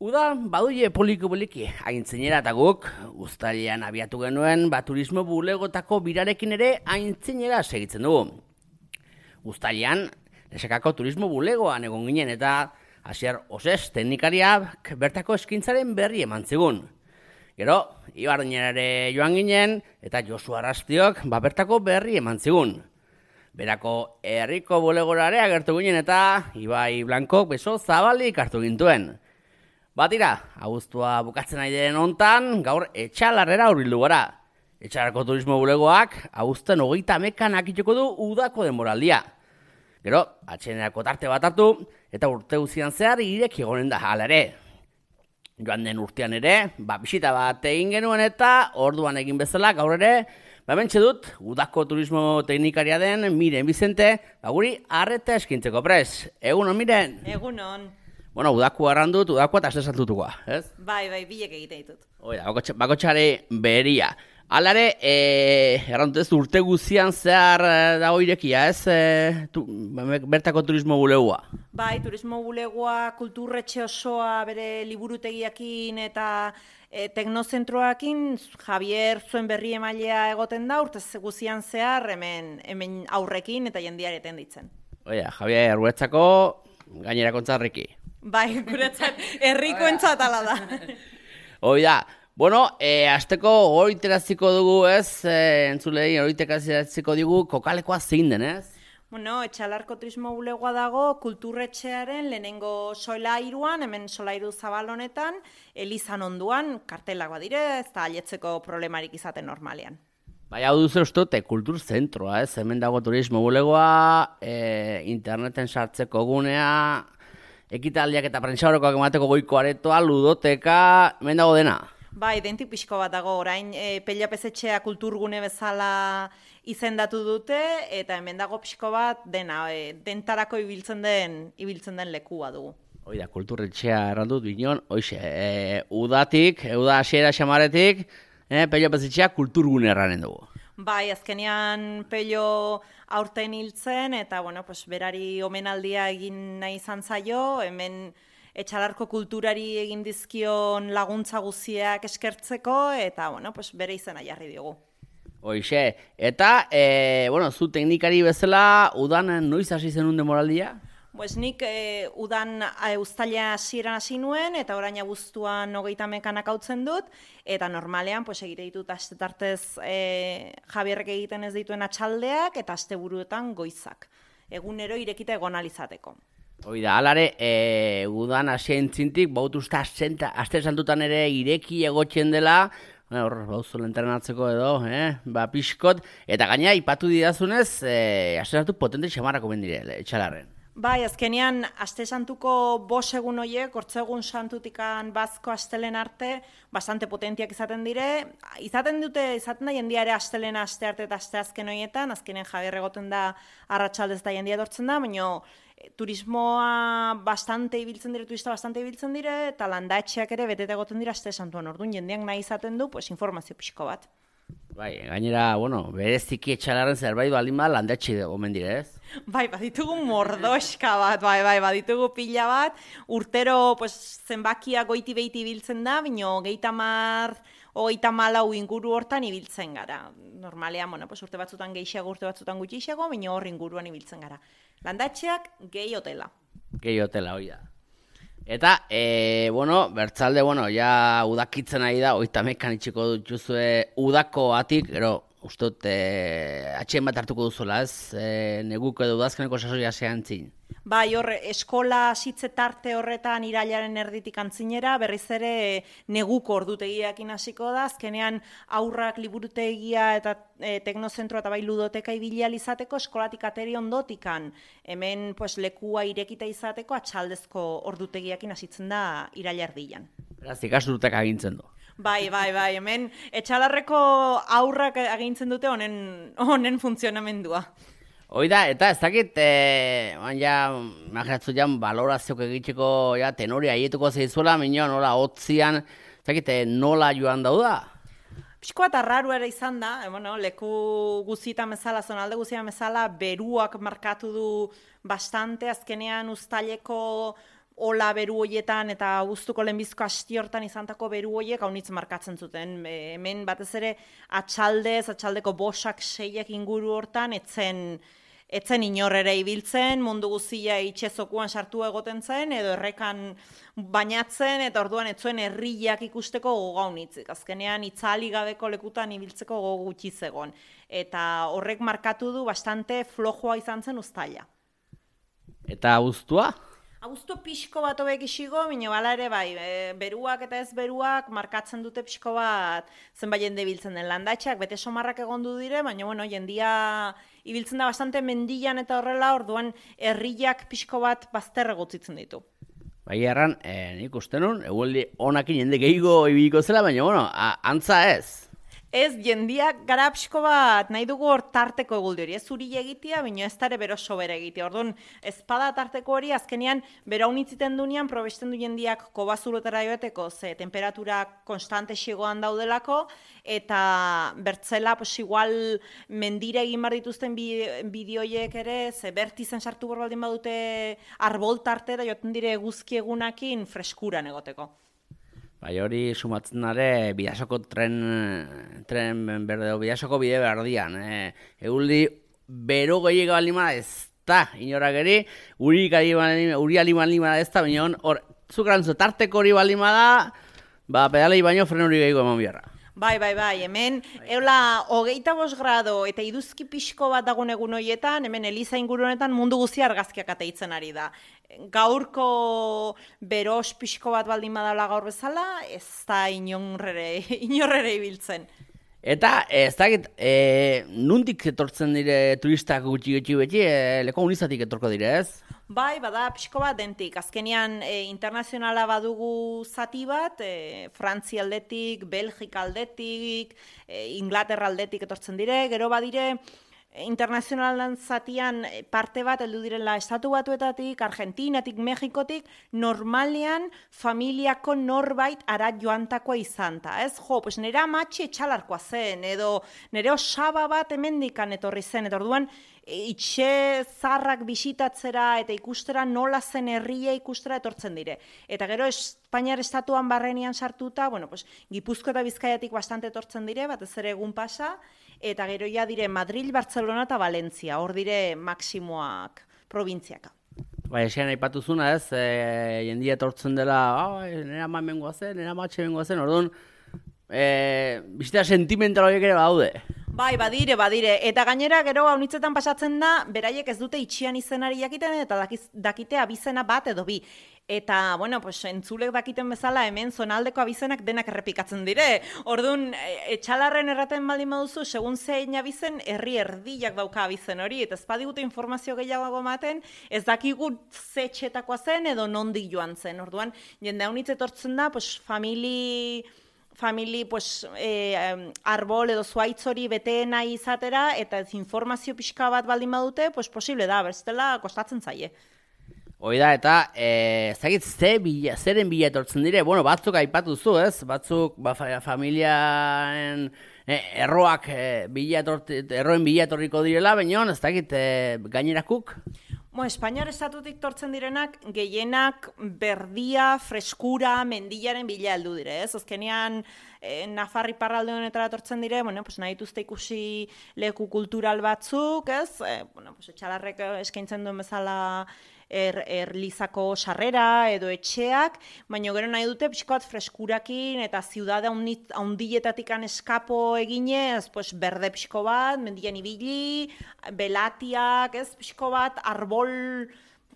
Uda, baduie poliki, aintzinera eta guk, uztailean abiatu genuen, turismo bulegotako birarekin ere aintzinera segitzen dugu. Uztailean, Lesekako turismo bulegoan egon ginen eta Asier Osez teknikariak bertako eskintzaren berri eman zigun. Gero, Ibardinerare joan ginen eta Josu Arrastiok bertako berri eman zigun. Berako herriko bulegorare agertu ginen eta Ibai Blankok beso zabalik hartu gintuen. Batira, abuztua bukatzen nahi den hontan, gaur Etxalarrera hurbildu gara. Etxalarreko turismo bulegoak abuzten 30 akituko du udako denboraldia. Gero, atxenerako tarte bat hartu, eta urte guztian zehar ireki egonen da hala ere. Joan den urtean ere, bisita bat egin genuen eta orduan egin bezala gaur ere, mentxe dut, udako turismo teknikaria den Miren Bizente, guri arreta eskintzeko prest. Egunon, Miren? Egunon. Bueno, udaku arrandut, udakoa eta astesaltutukoa, ez? Bai, bilek egiten ditut. Oida, bakotxare beria. Alare, errantut ez urte guztian zehar dago irekia, ez? Bertako turismo bulegoa. Bai, turismo bulegoa, kulturretxe osoa bere liburutegiakin eta teknozentroakin Javier zuen berri emailea egoten da, urte guztian zehar hemen aurrekin eta jendiareten ditzen. Oida, Javier, guretzako gainera kontzarriki. Bai, guretzat herrikoentzat ala da. Oida, bueno, azteko horiteraziko dugu, ez? Entzulei horiteraziko dugu kokalekoa zein den, ez? Bueno, Etxalarko turismo bulegoa dago kulturretxearen lehenengo solairuan, hemen solairu zabal honetan, elizan onduan, kartelak badire, ez da aletzeko problemarik izaten normalean. Bai, hau duzu uste, kultur zentroa, ez? Hemen dago turismo bulegoa, interneten sartzeko gunea, ekitaldiak eta prentsaurrekoak emateko goiko aretoa, ludoteka, hemen dago dena. Bai, dentik pixko bat dago, orain Pellapezetxea kulturgune bezala izendatu dute, eta hemen dago pixko bat dena, dentarako ibiltzen den lekua dugu. Hoi da, kulturretxea errandut bineon, hoxe, uda hasiera xamaretik, Pellapezetxea kulturgune erranen dugu. Bai, azkenean Pello aurten hiltzen, eta bueno, berari omenaldia egin nahi izan zaio, hemen Etxalarko kulturari egin dizkion laguntza guztiak eskertzeko, eta bueno, bere izena jarri diogu. Hoxe, eta, zu teknikari bezala, udan noiz hasi zenun demoraldia? Nik udan uztaila hasieran hasi nuen, eta orain abuztuan 30 hautzen dut, eta normalean egite ditut astetartez Javierrek egiten ez dituen atxaldeak, eta asteburuetan goizak. Egunero irekita egon alizateko. Hoi da, alare, udan hasien txintik, bautuzta aste santutan ere ireki egotzen dela, hor, bauzula entrenatzeko edo, pixkot, eta gaina ipatu didazunez, aste santu potente xamarrako bendire, Etxalarren. Bai, azkenean, aste santuko 5 egun horiek, hortzegun santutikan bazko astelen arte, bastante potentiak izaten dire. Izaten da jendiare astelena aste arte eta aste azken horietan, azkenean Javier egoten da arratsaldez da jendia dortzen da, baina turismoa turista bastante ibiltzen dire, eta landatxeak ere betete egoten dira aste santuan. Orduan jendeak nahi izaten du, informazio pixko bat. Bai, gainera, bereziki Etxalarren zerbait baldin bat landatxe omen dire, ez? Bai, baditugu mordoska bat, baditugu pila bat, urtero zenbakia goiti behiti ibiltzen da, baina 34 inguru hortan ibiltzen gara. Normalean, urte batzutan gehiago, urte batzutan gutxiago, baina hor inguruan ibiltzen gara. Landatxeak gehi hotela. Gehi hotela, hoi da. Eta, bertzalde, ja udakitzen ari da, 30 itxiko dutuzue udako atik, gero, ustot, atxeen bat hartuko duzula, ez? Neguko edo udazkeneko sasoia zehan zin. Bai, eskola hasitze tarte horretan irailaren erditik antzinera, berriz ere neguko ordutegiakin hasiko da, azkenean aurrak liburutegia eta teknozentroa eta bai ludoteka ibili izateko eskolatik ateri ondotikan, hemen lekua irekita izateko atxaldezko ordutegiakin hasitzen da iraila erdian. Beraz, ikasturtek agintzen du. Bai, hemen Etxalarreko aurrak agintzen dute honen funtzionamendua. Hoi da, eta ez dakit, imaginatzu balorazioak egiteko tenori aietuko zeizuela, nola hotzian, ez dakit, nola joan dauda? Pixko bat arraru ere izan da, leku guztietan bezala, zonalde guztietan bezala, beruak markatu du bastante, azkenean uztaileko ola beru hoietan eta abuztuko lehenbizko asti hortan izantako beru hoiek haunitz markatzen zuten. Hemen batez ere atxaldeko 5-6 inguru hortan etzen inor ere ibiltzen, mundu guztia itxezokuan sartu egoten zen, edo errekan bainatzen, eta orduan etzuen herriak ikusteko gogaunitzik. Azkenean itzali gabeko lekutan ibiltzeko gogo gutxi zegon. Eta horrek markatu du bastante flojoa izan zen Uztaila. Eta abuztua? Abuztu pixko bat hobek isigo, baina bala ere bai, beruak eta ez beruak markatzen dute pixko bat zenbait jende ibiltzen den. Landatxak bete somarrak egondu dire, baina bueno, jendia ibiltzen da bastante mendian eta horrela, orduan herriak pixko bat bazterre gutzitzen ditu. Bai erran, nik uste nun, egualdi honakin jende gehiago ibiliko zela, baina bueno, antza ez. Ez, jendiak gara pixko bat nahi dugu hor tarteko eguldi hori, ez zuri egitea, baina ez dara bero sobera egitea. Orduan, ezpada tarteko hori, azkenean, bera unitziten dunean, probesten du jendiak kobazulotara joeteko, ze temperatura konstante xigoan daudelako, eta bertzela, pues igual, mendira egin bar dituzten bideoiek ere, ze bertizen sartu bordin badute arbol tarte, da joten dire eguzki egunakin freskuran egoteko. Bai, hori sumatzen dare Bidasoko tren berde, Bidasoko bide berdian. Eguldi bero gehiago balima ez da, inorak eri, uri balima ez da, baina hor, zukrantzu tarteko hori balima da, pedalei baino fren hori gehiago eman biharra. Bai, hemen, eula, 25 grado eta iduzki pixko bat dagoen egun horietan, hemen Eliza inguru honetan mundu guztia argazkiak ateitzen ari da. Gaurko beros pixko bat baldin badala gaur bezala, ez da inorrere ibiltzen. Eta, ez dakit, nundik etortzen dire turistak gutxi beti, leko unizatik etorko dire, ez? Bai, bada pixko bat dentik. Azkenean internazionala badugu zati bat, Frantzia aldetik, Belgika aldetik, Inglaterra aldetik etortzen dire, gero badire internazionalan zatian parte bat heldu direla Estatu Batuetatik, Argentinatik, Mexikotik, normalean familiako norbait arat joantakoa izanta, ez? Jo, pues nera amatxe etxalarkoa zen, edo nere osaba bat hemendikan etorri zen, eta orduan itxe zarrak bisitatzera eta ikustera nola zen herria ikustera etortzen dire. Eta gero Espainiar estatuan barrenian sartuta, bueno, pues, Gipuzko eta Bizkaiatik bastante etortzen dire, batez ere egun pasa, eta gero ja dire Madrid, Barcelona eta Valentzia, hor dire maksimoak probintziaka. Bai, esan aipatuzuna ez, jendia etortzen dela, nera ama mengoa zen, nera matxe mengoa zen, orduan, bizita sentimental horiek ere badaude. Bai, badire, eta gainera gero haunitzetan pasatzen da, beraiek ez dute itxian izenari jakiten, eta dakite abizena bat edo bi. Eta, bueno, pues, entzulek dakiten bezala hemen zonaldeko abizenak denak errepikatzen dire. Orduan, etxalarren erraten baldin baduzu, segun zein abizen, herri erdiak dauka abizen hori, eta ez badigute informazio gehiago ematen, ez dakigu ze txetakoa zen edo nondik joan zen. Orduan, jende haunitz etortzen da, pues, famili pues, arbol edo zuaitz hori bete nahi izatera, eta informazio pixka bat baldin badute, pues, posible da, bestela kostatzen zaie. Hoi da, eta ezagit zeren bila etortzen dire, bueno, batzuk aipatuzu, ez? Batzuk familiaren erroak erroen bila etorriko direla, baina ez dakit gainerakuk? Espainiar estatutik tortzen direnak, gehienak berdia, freskura, mendilaren bila heldu dire, ez? Azkenean, Nafarri parralde honetara tortzen dire, bueno, pues nahi dituzte ikusi leku kultural batzuk, ez? Bueno, pues etxalarrek eskaintzen duen bezala erlizako sarrera edo etxeak, baina gero nahi dute pixko bat freskurakin eta ziudade haundietatikan eskapo eginez, pues berde pixko bat, mendian ibili, belatiak, ez pixko bat, arbol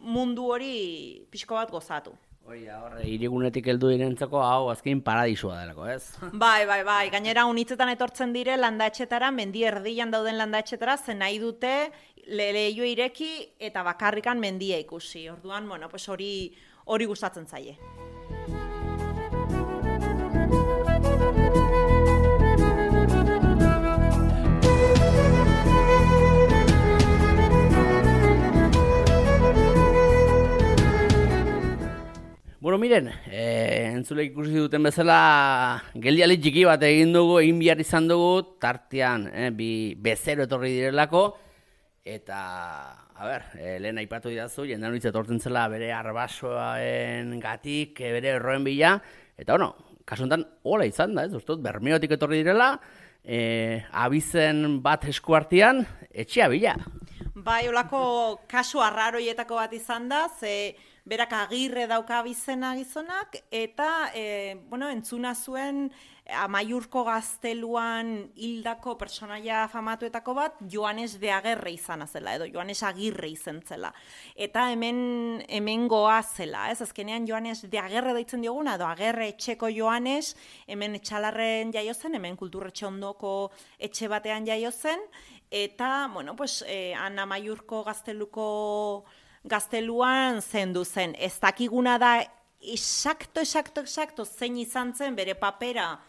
mundu hori pixko bat gozatu. Hori da, hirigunetik heldu direntzako hau azkein paradisua delako, ez? Bai, gainera unitzetan etortzen dire landatxetara, mendi erdian dauden landatxetara, zen nahi dute leio ireki eta bakarrikan mendia ikusi. Orduan, bueno, pues hori gustatzen zaie. Bueno, miren, entzulek ikusi duten bezala geldialdi txiki bat egin behar izan dugu, tartean bi bezero etorri direlako, eta lehen aipatu didazu, jendean hitz etortzen zela bere arbasoen gatik, bere erroen bila, eta kasuntan hola izan da, ez? Uztot, Bermeotik etorri direla, abizen bat eskuartian, etxea bila. Bai, olako kasu arraroietako bat izan da, ze berak Agirre dauka abizena gizonak, eta, entzuna zuen Amaiurko gazteluan hildako personaia famatuetako bat, Joanes de Agerre izan zela, edo Joanes Agirre izan zela. Eta hemen goa zela, ez? Azkenean Joanes de Agerre deitzen dioguna, edo Agerre etxeko Joanes, hemen Etxalarren jaio zen, hemen Kulturretxe ondoko etxe batean jaio zen, eta, han Amaiurko gazteluan zendu zen. Ez dakiguna da, Exacto, zein izan zen bere papera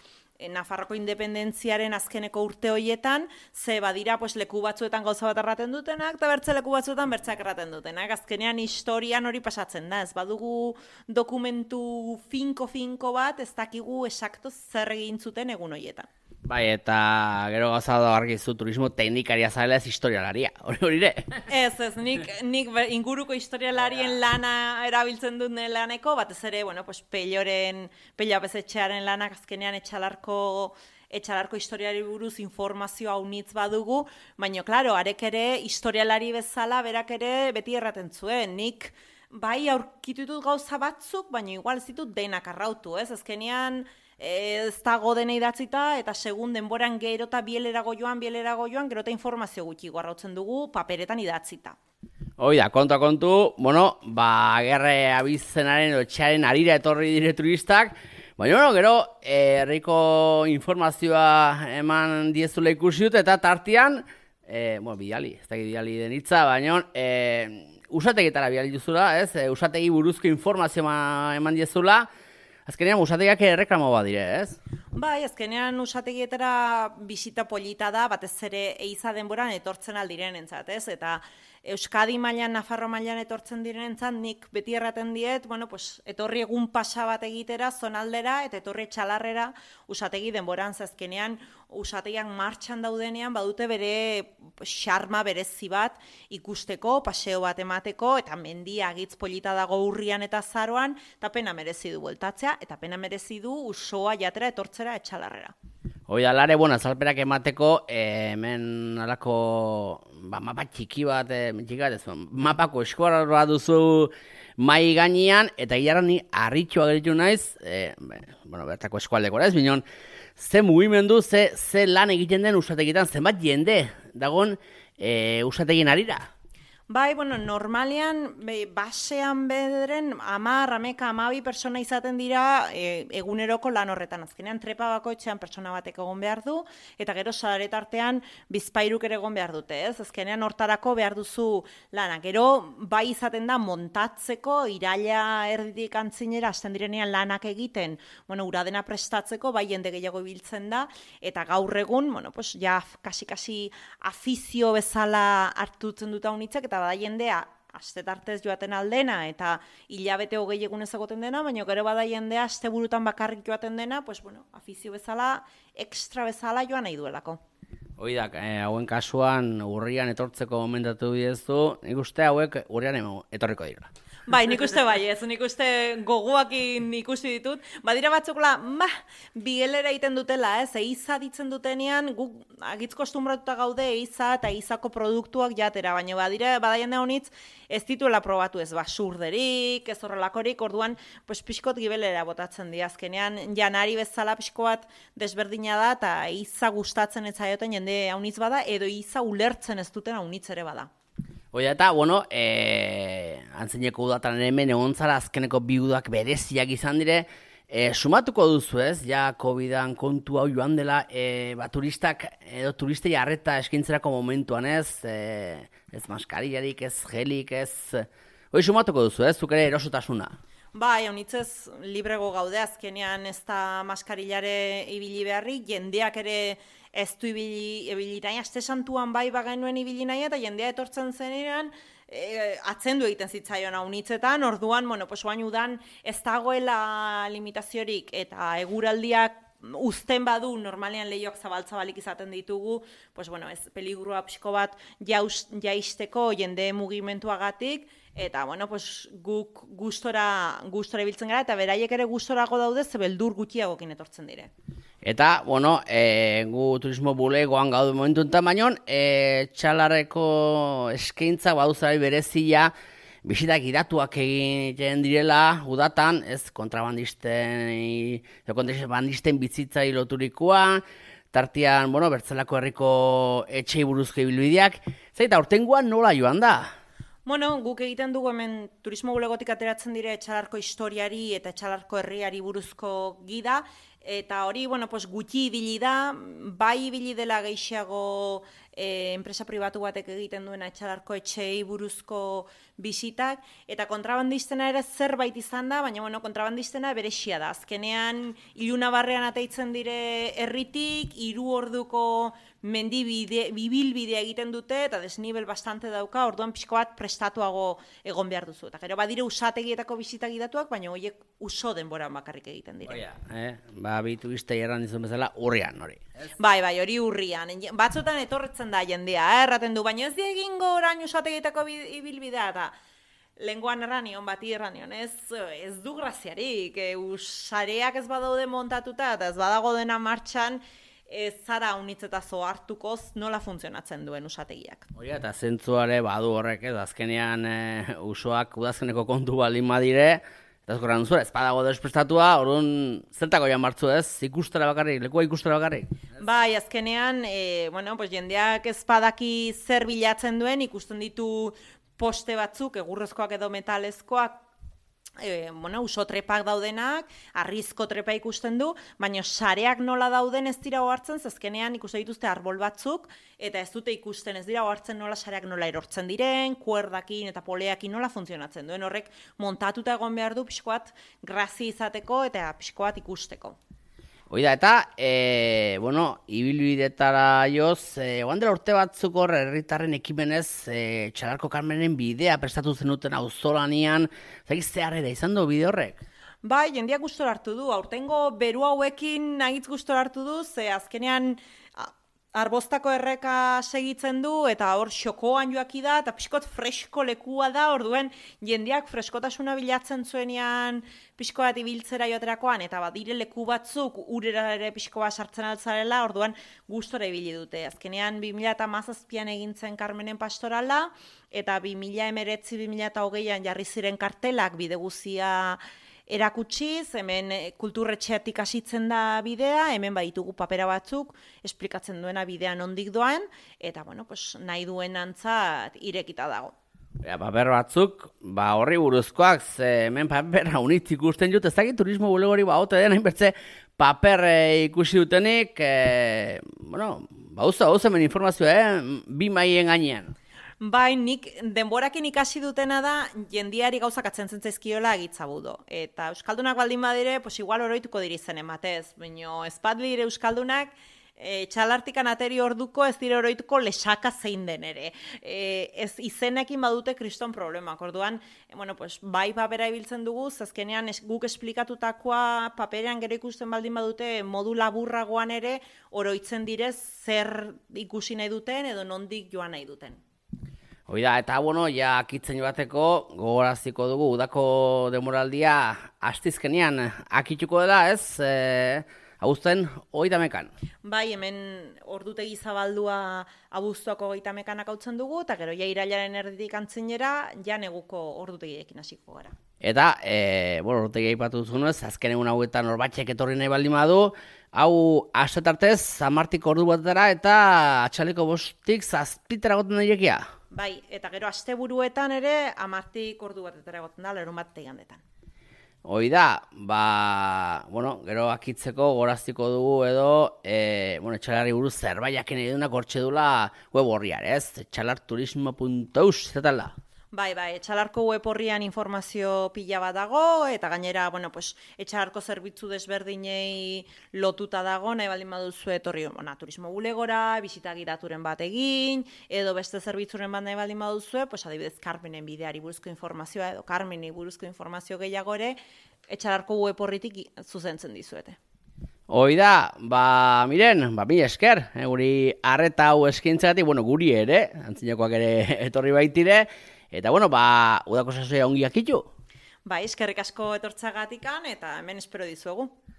Nafarroko independentziaren azkeneko urte hoietan, ze badira leku batzuetan gauza bat erraten dutenak, eta bertze leku batzuetan bertzeak erraten dutenak. Azkenean historian hori pasatzen da, ez badugu dokumentu finko bat, ez dakigu exacto zer egin zuten egun hoietan. Bai, eta gero gauza da argizu turismo teknikaria zarela ez historialaria, hori ere? Ez, nik inguruko historialarien lana erabiltzen dut laneko, batez ere, Pello Apezetxearen lanak azkenean Etxalarko historiari buruz informazio haunitz badugu, baina, klaro, arek ere historialari bezala berak ere beti erraten zuen, nik bai aurkitu ditut gauza batzuk, baina igual ez ditut denak arrautu, ez? Azkenean ez dago dena idatzita, eta segun denboran gero eta bielerago joan, gero eta informazio gutxi arrautzen dugu paperetan idatzita. Hoi da, kontu, Agerre abizenaren etxearen arira etorri dire turistak, baina, gero, herriko informazioa eman diezula ikusi dut, eta tartean, bidali, ez da bidali den hitza, baina, usategitara bidali duzula, ez? Usategi buruzko informazioa eman diezula, azkenean usategiak erreklamo bat dire, ez? Bai, azkenean usategietara bisita polita da, batez ere eiza denboran etortzen aldirenentzat, ez? Eta Euskadi mailan, Nafarro mailan etortzen direnentzat, nik beti erraten diet, etorri egun pasa bat egitera, zonaldera, eta etorri Etxalarrera usategi denboran, azkenean usategiak martxan daudenean, badute bere xarma berezi bat ikusteko, paseo bat emateko, eta mendia agitz polita dago urrian eta azaroan, eta pena merezi du bueltatzea, eta pena merezi du usoa jatera etortzera Etxalarrera. Hoi da, lare, azalperak emateko, hemen alako mapa txiki bat, mapako eskuarra duzu mai gainean, eta hilarra ni harritxoa geritu naiz, bertako eskualdeko, ez? Binon, ze mugimendu, ze lan egiten den usategitan, zenbat jende dagoen usategien arira? Bai, normalean, basean bederen, 12 persona izaten dira eguneroko lan horretan. Azkenean, trepa bakoitzean persona batek egon behar du, eta gero sadaretartean bizpairuk ere egon behar dute, ez? Azkenean, hortarako behar duzu lana. Gero, bai izaten da montatzeko, iraila erditik antzinera, hasten direnean lanak egiten, uradena prestatzeko, bai jende gehiago ibiltzen da, eta gaur egun, ja, kasi afizio bezala hartutzen dut haunitzek, eta bada jendea astetartez joaten aldena eta hilabete 20 egunez egoten dena, baina gero bada jendea asteburutan bakarrik joaten dena, afizio bezala, extra bezala joan nahi duelako. Hoi da, hauen kasuan urrian etortzeko momentatu diezu, nik uste hauek urrian etorriko dira. Bai, nik uste bai ez, nik uste gogoakin ikusi ditut. Badira batzukla, bigelera egiten dutela, ez, eiza ditzen dutenean, guk agitz kostumbratuta gaude eiza eta eizako produktuak jatera, baina bada jende honitz ez dituela probatu ez basurderik, ez horrelakorik, orduan pixkot gibelera botatzen di, azkenean janari bezala pixko bat desberdina da, eta eiza gustatzen ez zaioten jende haunitz bada, edo eiza ulertzen ez duten haunitz ere bada. Oia eta, antzineko udatan hemen egon zara azkeneko bi udak bereziak izan dire, sumatuko duzu ez, ja COVID-an kontu hau joan dela, turistak edo turistei arreta eskintzerako momentuan ez, ez maskarillarik, ez gelik, ez, sumatuko duzu ez, zuk ere erosotasuna. Bai, honitzez librego gaude azkenean ez da maskarillare ibili beharrik, jendeak ere ez du ibili nahi, aste santuan bai bagenuen ibili nahi, eta jendea etortzen zenean, atzendu egiten zitzaion haunitzetan, orduan, oain udan ez dagoela limitaziorik, eta eguraldiak uzten badu, normalean lehioak zabalik izaten ditugu, pues bueno, ez peligrua pixko bat jaisteko jende mugimenduagatik, eta bueno, pues guk gustora ibiltzen gara, eta beraiek ere gustorago daude, ze beldur gutxiagokin etortzen dire. Eta, bueno, gu turismo bulegoan gaude momentu enten bainon, Etxalarreko eskaintza baduzari berezia, bisitak idatuak egiten direla, udatan, ez kontrabandisten bizitzai loturikoa, tartean, bueno, Bertzelako herriko etxei buruzko ibilbideak, zaita, aurtengoan nola joan da? Bueno, guk egiten dugu hemen turismo bulegotik ateratzen dire Etxalarko historiari eta Etxalarko herriari buruzko gida, eta hori, bueno, pues, gutxi ibili da, bai ibili dela gehiago enpresa pribatu batek egiten duena Etxalarko etxeei buruzko bisitak, eta kontrabandistena ere zerbait izan da, baina bueno, kontrabandistena berexia da. Azkenean, ilunabarrean ateitzen dire herritik, 3 orduko bibilbidea egiten dute, eta desnibel bastante dauka, orduan pixko bat prestatuago egon behar duzu. Eta gero badire usategietako bisitak idatuak, baina horiek uso denboran bakarrik egiten dire. Oia, bitu izte erran dizun bezala urrian hori. Bai, hori urrian. Batzutan etorretzen da jendea, erraten du, baina ez diegingo orain usategietako ibilbidea, eta lenguan erranion, bati erranion, ez du graziarik, sareak ez badaude montatuta, eta ez badago dena martxan, ez zara unitzetazo hartukoz nola funtzionatzen duen usategiak. Oia, eta zentzuare badu horrek, azkenean usoak udazkeneko kontu baldin badire, eta azkorran duzura, ez badago desprestatua, orduan zertako jan martzu ez, ikustera bakarrik, lekua ikustera bakarrik. Bai, azkenean, bueno, pues jendeak ez badaki zer bilatzen duen, ikusten ditu poste batzuk, egurrezkoak edo metalezkoak, bueno, uso trepak daudenak, arrizko trepa ikusten du, baina sareak nola dauden ez dira ohartzen, zezkenean ikusten dituzte arbol batzuk, eta ez dute ikusten, ez dira ohartzen nola sareak nola erortzen diren, kuerdakin eta poleakin nola funtzionatzen duen, horrek montatuta egon behar du pixkoat grazi izateko eta pixkoat ikusteko. Oida, eta, bueno, ibilbidetara joz, oandela urte batzuk hor herritarren ekimenez Txalarko Karmenen bidea prestatu zenuten auzolanian, zagiz zeharrera izan du bide horrek? Bai, jendeak gustora hartu du, aurtengo beru hauekin nahitz gustora hartu du, ze azkenean Arboztako erreka segitzen du, eta hor xokoan joaki da, eta pixkot fresko lekua da, orduen jendeak freskotasuna bilatzen zuenean pixko bat ibiltzera joaterakoan, eta badire leku batzuk urera ere pixko bat sartzen altzarela, orduan gustora ibili dute. Azkenean 2017an egintzen Karmenen pastorala, eta 2019-2020an jarri ziren kartelak bide guzia erakutsiz, hemen kulturretxeatik hasitzen da bidea, hemen baditugu papera batzuk, esplikatzen duena bidea nondik doan, eta bueno, pues, nahi duen antzat irekita dago. Paper batzuk, horri buruzkoak, hemen papera unitz ikusten jut, ez dakit turismo bulegori ote den, hainbertze paper ikusi dutenik, bueno, bauza hemen informazioa, 2 maien gainean. Bai, nik denborakin ikasi dutena da jendiari gauzak atzen zaizkiola egitzabudo. Eta euskaldunak baldin badire, pues igual oroituko dirizen ematez. Baina ez bat dire euskaldunak, Txalartikan ateri orduko ez dire oroituko lesaka zein den ere. Ez izenekin badute kriston problemak. Orduan, bueno, pues, bai papera ibiltzen dugu, azkenean guk esplikatutakoa paperean gero ikusten baldin badute modu laburragoan ere oroitzen direz zer ikusi nahi duten edo nondik joan nahi duten. Oida, eta bueno, ja akitzen joateko gogoraziko dugu, udako demoraldia astizkenean akituko dela, ez? Abuzten 30ekan. Bai, hemen ordutegi zabaldua abuztuako 30ekan hautzen dugu, eta gero ja irailaren erditik antzinera, ja neguko ordutegiekin hasiko gara. Eta, bueno, ordutegi aipatu duzunez, azken egun hauetan norbatxek etorri nahi baldin badu, hau astetartez, 10 ordu batera eta atxaleko 5-tik 7 goten dairekia. Bai, eta gero asteburuetan ere 10 ordu batetara egoten da, larunbat igandetan. Hoi da, bueno, gero akitzeko goraztiko dugu edo, bueno, Etxalarri buruz zerbaiaken edunak hortxe dula web horriar, ez? Etxalarturismo.eus, zetan da? Bai, Etxalarko web horrian informazio pila bat dago, eta gainera, bueno, pues, Etxalarko zerbitzu desberdinei lotuta dago, nahi baldin baduzu etorri, turismo bulegora, bisita gidaturen bat egin, edo beste zerbitzuren bat nahi baldin baduzu, pues, adibidez, Karmenen bideari buruzko informazioa, edo Karmeni buruzko informazio gehiago ere, Etxalarko web horritik zuzentzen dizuete. Hoi da, miren, mila esker, guri arreta hau eskintzagatik, guri ere, antzinakoak ere etorri baitire, eta udako sasoia ongi akitu. Bai, eskerrik asko etortzagatikan eta hemen espero dizuegu.